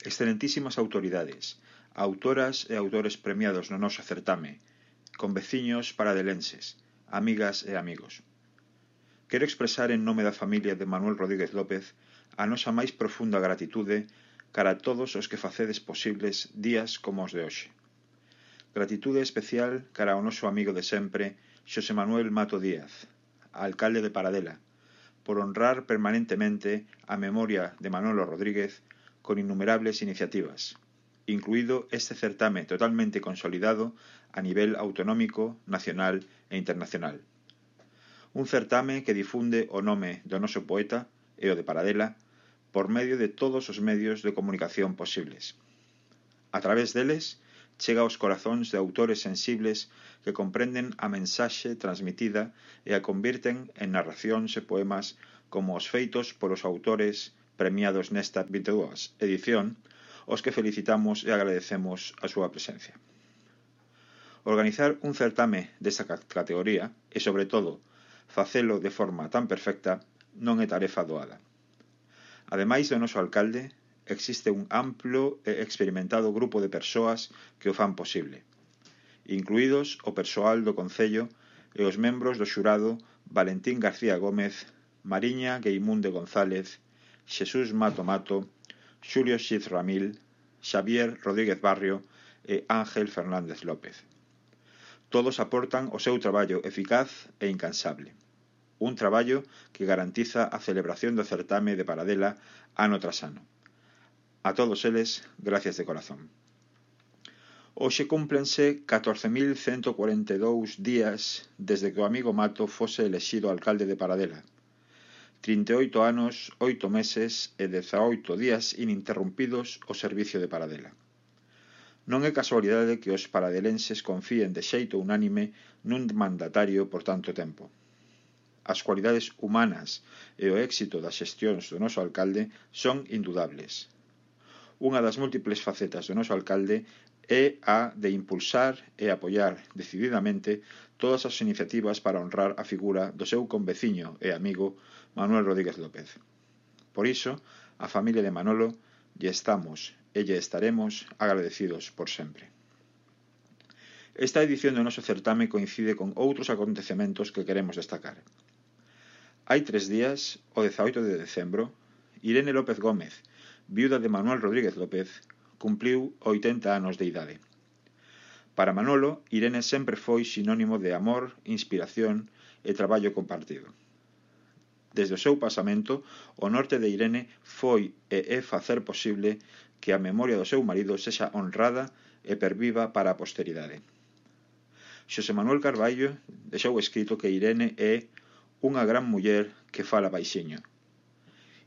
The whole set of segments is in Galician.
excelentísimas autoridades, autoras e autores premiados no noso certame, conveciños paradelenses, amigas e amigos. Quero expresar en nome da familia de Manuel Rodríguez López a nosa máis profunda gratitude cara a todos os que facedes posibles días como os de hoxe. Gratitude especial cara ao noso amigo de sempre, Xosé Manuel Mato Díaz, alcalde de Paradela, por honrar permanentemente a memoria de Manolo Rodríguez con innumerables iniciativas, incluído este certame totalmente consolidado a nivel autonómico, nacional e internacional. Un certame que difunde o nome do noso poeta e o de Paradela por medio de todos os medios de comunicación posibles. A través deles, chega aos corazóns de autores sensibles que comprenden a mensaxe transmitida e a convirten en narracións e poemas como os feitos polos autores premiados nesta 22 edición, os que felicitamos e agradecemos a súa presencia. Organizar un certame desta categoría e, sobre todo, facelo de forma tan perfecta non é tarefa doada. Ademais do noso alcalde, existe un amplo e experimentado grupo de persoas que o fan posible, incluídos o persoal do Concello e os membros do xurado Valentín García Gómez, Mariña Gueimunde González, Xesús Mato Mato, Xulio Xiz Ramil, Xavier Rodríguez Barrio e Ángel Fernández López. Todos aportan o seu traballo eficaz e incansable. Un traballo que garantiza a celebración do certame de Paradela ano tras ano. A todos eles, gracias de corazón. Hoxe cúmplense 14.142 días desde que o amigo Mato fose elexido alcalde de Paradela. 38 anos, 8 meses e 18 días ininterrumpidos ao servicio de Paradela. Non é casualidade que os paradelenses confíen de xeito unánime nun mandatario por tanto tempo. As cualidades humanas e o éxito das xestións do noso alcalde son indudables. Unha das múltiples facetas do noso alcalde é a de impulsar e apoiar decididamente todas as iniciativas para honrar a figura do seu conveciño e amigo Manuel Rodríguez López. Por iso, a familia de Manolo lle estamos e lle estaremos agradecidos por sempre. Esta edición do noso certame coincide con outros acontecementos que queremos destacar. Hai 3 días, o 18 de decembro, Irene López Gómez, viuda de Manuel Rodríguez López, cumpliu 80 anos de idade. Para Manolo, Irene sempre foi sinónimo de amor, inspiración e traballo compartido. Desde o seu pasamento, o norte de Irene foi e é facer posible que a memoria do seu marido sexa honrada e perviva para a posteridade. Xosé Manuel Carballo deixou escrito que Irene é unha gran muller que fala baixiño.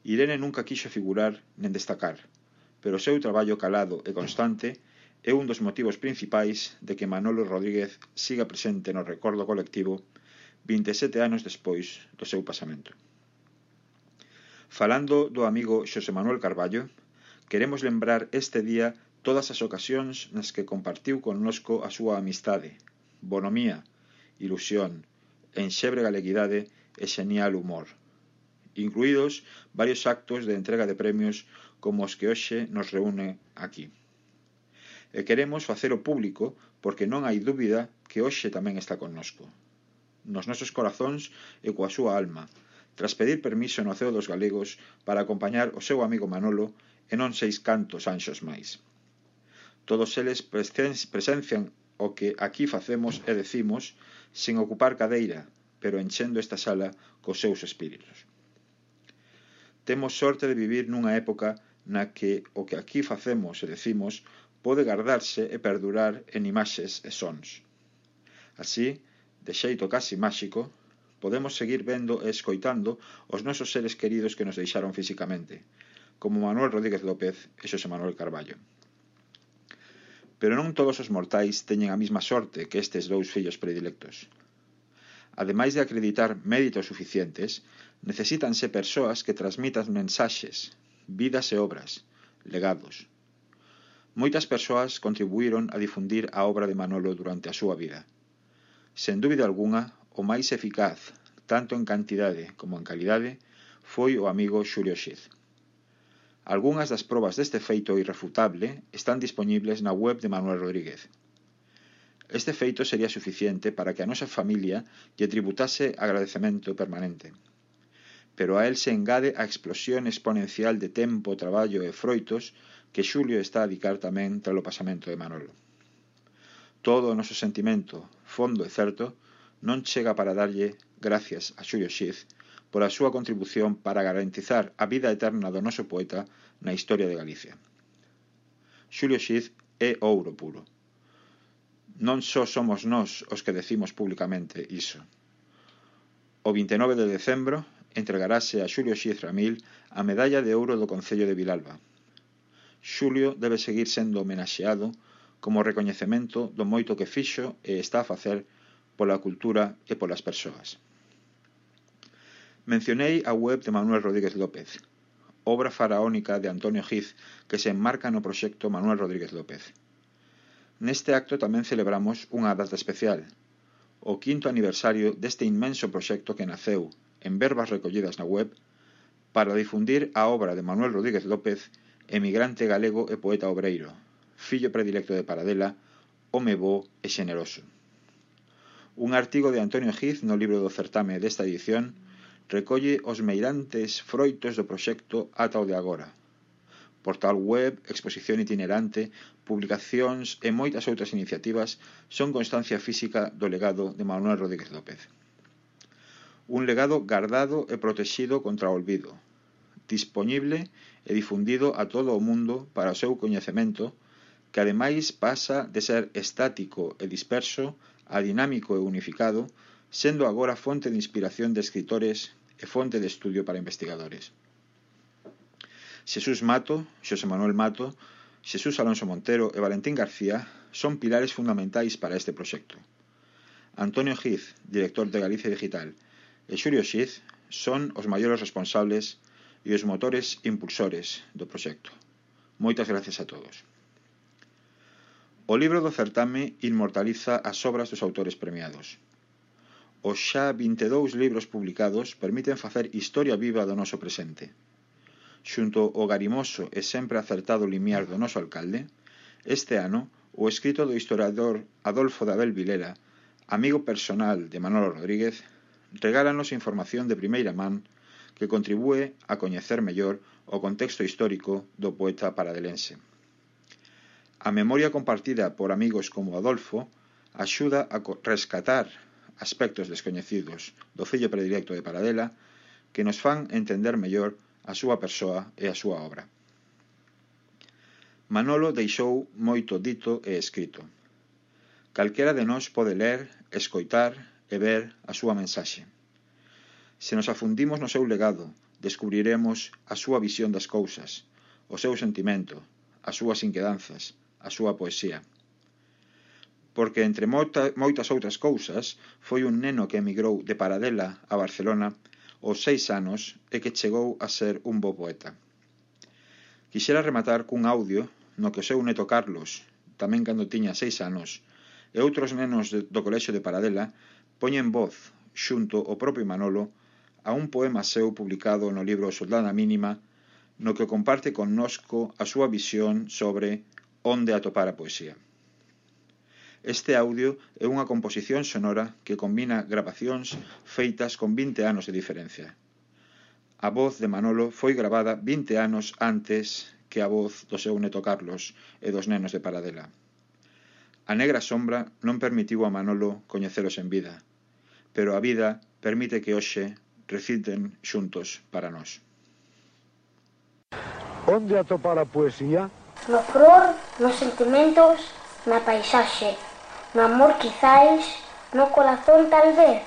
Irene nunca quixo figurar nen destacar, pero o seu traballo calado e constante é un dos motivos principais de que Manolo Rodríguez siga presente no recordo colectivo 27 anos despois do seu pasamento. Falando do amigo Xosé Manuel Carballo, queremos lembrar este día todas as ocasións nas que compartiu connosco a súa amistade, bonomía, ilusión, enxebre galeguidade e xenial humor, incluídos varios actos de entrega de premios como os que hoxe nos reúne aquí. E queremos facelo público porque non hai dúbida que hoxe tamén está connosco, nos nosos corazóns e coa súa alma, tras pedir permiso no Ceo dos Galegos para acompañar o seu amigo Manolo e non 6 cantos anxos máis. Todos eles presencian o que aquí facemos e decimos sen ocupar cadeira, pero enchendo esta sala cos seus espíritos. Temos sorte de vivir nunha época na que o que aquí facemos e decimos pode gardarse e perdurar en imaxes e sons. Así, de xeito casi máxico, podemos seguir vendo e escoitando os nosos seres queridos que nos deixaron físicamente, como Manuel Rodríguez López e Xosé Manuel Carballo. Pero non todos os mortais teñen a mesma sorte que estes dous fillos predilectos. Ademais de acreditar méritos suficientes, necesítanse persoas que transmitan mensaxes, vidas e obras, legados. Moitas persoas contribuíron a difundir a obra de Manolo durante a súa vida. Sen dúbida algunha, o máis eficaz, tanto en cantidade como en calidade, foi o amigo Xulio Xiz. Algunhas das probas deste feito irrefutable están dispoñibles na web de Manuel Rodríguez. Este feito sería suficiente para que a nosa familia lle tributase agradecemento permanente. Pero a él se engade a explosión exponencial de tempo, traballo e froitos que Xulio está a dedicar tamén tras o pasamento de Manolo. Todo o noso sentimento, fondo e certo, non chega para darlle gracias a Xulio Xiz pola súa contribución para garantizar a vida eterna do noso poeta na historia de Galicia. Xulio Xiz é ouro puro. Non só somos nós os que decimos públicamente iso. O 29 de decembro entregarase a Xulio Xiz Ramil a medalla de ouro do Concello de Vilalba. Xulio debe seguir sendo homenaxeado como recoñecemento do moito que fixo e está a facer pola cultura e polas persoas. Mencionei a web de Manuel Rodríguez López, obra faraónica de Antonio Xiz que se enmarca no proxecto Manuel Rodríguez López. Neste acto tamén celebramos unha data especial, o 5º aniversario deste inmenso proxecto que naceu en verbas recollidas na web para difundir a obra de Manuel Rodríguez López, emigrante galego e poeta obreiro, fillo predilecto de Paradela, home bo e xeneroso. Un artigo de Antonio Xiz no libro do certame desta edición recolle os meirantes froitos do proxecto ata o de agora. Portal web, exposición itinerante, publicacións e moitas outras iniciativas son constancia física do legado de Manuel Rodríguez López. Un legado guardado e protexido contra o olvido, dispoñible e difundido a todo o mundo para o seu coñecemento, que ademais pasa de ser estático e disperso a dinámico e unificado, sendo agora fonte de inspiración de escritores e fonte de estudio para investigadores. Xesús Mato, Xosé Manuel Mato, Xesús Alonso Montero e Valentín García son pilares fundamentais para este proxecto. Antonio Xiz, director de Galicia Digital, e Xulio Xiz son os maiores responsables e os motores impulsores do proxecto. Moitas gracias a todos. O libro do certame inmortaliza as obras dos autores premiados. Os xa 22 libros publicados permiten facer historia viva do noso presente. Xunto ao garimoso e sempre acertado limiar do noso alcalde, este ano o escrito do historiador Adolfo de Abel Vilela, amigo personal de Manolo Rodríguez, regálanos información de primeira man que contribúe a coñecer mellor o contexto histórico do poeta paradelense. A memoria compartida por amigos como Adolfo axuda a rescatar aspectos descoñecidos do fillo predilecto de Paradela que nos fan entender mellor a súa persoa e a súa obra. Manolo deixou moito dito e escrito. Calquera de nós pode ler, escoitar e ver a súa mensaxe. Se nos afundimos no seu legado, descubriremos a súa visión das cousas, o seu sentimento, as súas inquedanzas, a súa poesía. Porque entre moitas outras cousas foi un neno que emigrou de Paradela a Barcelona aos 6 anos e que chegou a ser un bo poeta. Quixera rematar cun audio no que o seu neto Carlos, tamén cando tiña 6 anos, e outros nenos do colexio de Paradela poñen voz, xunto ao propio Manolo, a un poema seu publicado no libro Soldada Mínima, no que comparte connosco a súa visión sobre onde atopar a poesía. Este audio é unha composición sonora que combina grabacións feitas con 20 anos de diferencia. A voz de Manolo foi gravada 20 anos antes que a voz do seu neto Carlos e dos nenos de Paradela. A negra sombra non permitiu a Manolo coñecelos en vida, pero a vida permite que hoxe reciten xuntos para nós. Onde atopar a poesía? No flor, nos sentimentos, na paisaxe, no amor quizais, no corazón tal vez,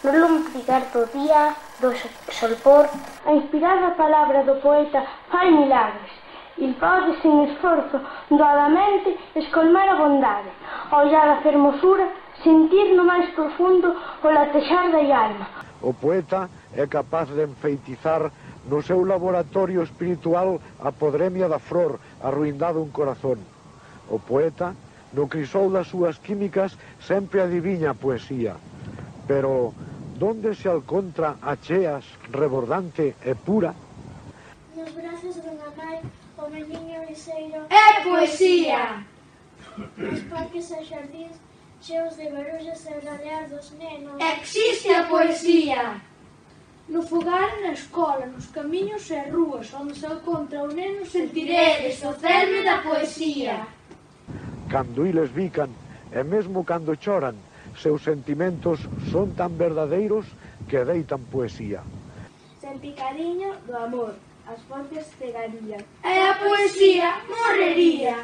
no lumbrigar do día, do solpor. A inspirada palabra do poeta fai milagres. Il pode, sin esforzo, doadamente escolmar a bondade, ollar a fermosura, sentir no máis profundo o latexar da alma. O poeta é capaz de enfeitizar no seu laboratorio espiritual a podremia da flor, arruindado un corazón. O poeta, no crisol das súas químicas, sempre adiviña a poesía. Pero, donde se alcontra a cheas, rebordante e pura? Nos brazos dunha nai, o meniño liseiro É poesía! nos parques e xardíns cheos de barullos e ralear dos nenos. Existe a poesía! No fogar e na escola, nos camiños e rúas, onde se encontra o neno Sentiredes o cerme da poesía. Cando iles bican, e mesmo cando choran, seus sentimentos son tan verdadeiros que deitan poesía. Senti cariño do amor, as fontes cegarían. E a poesía morrería.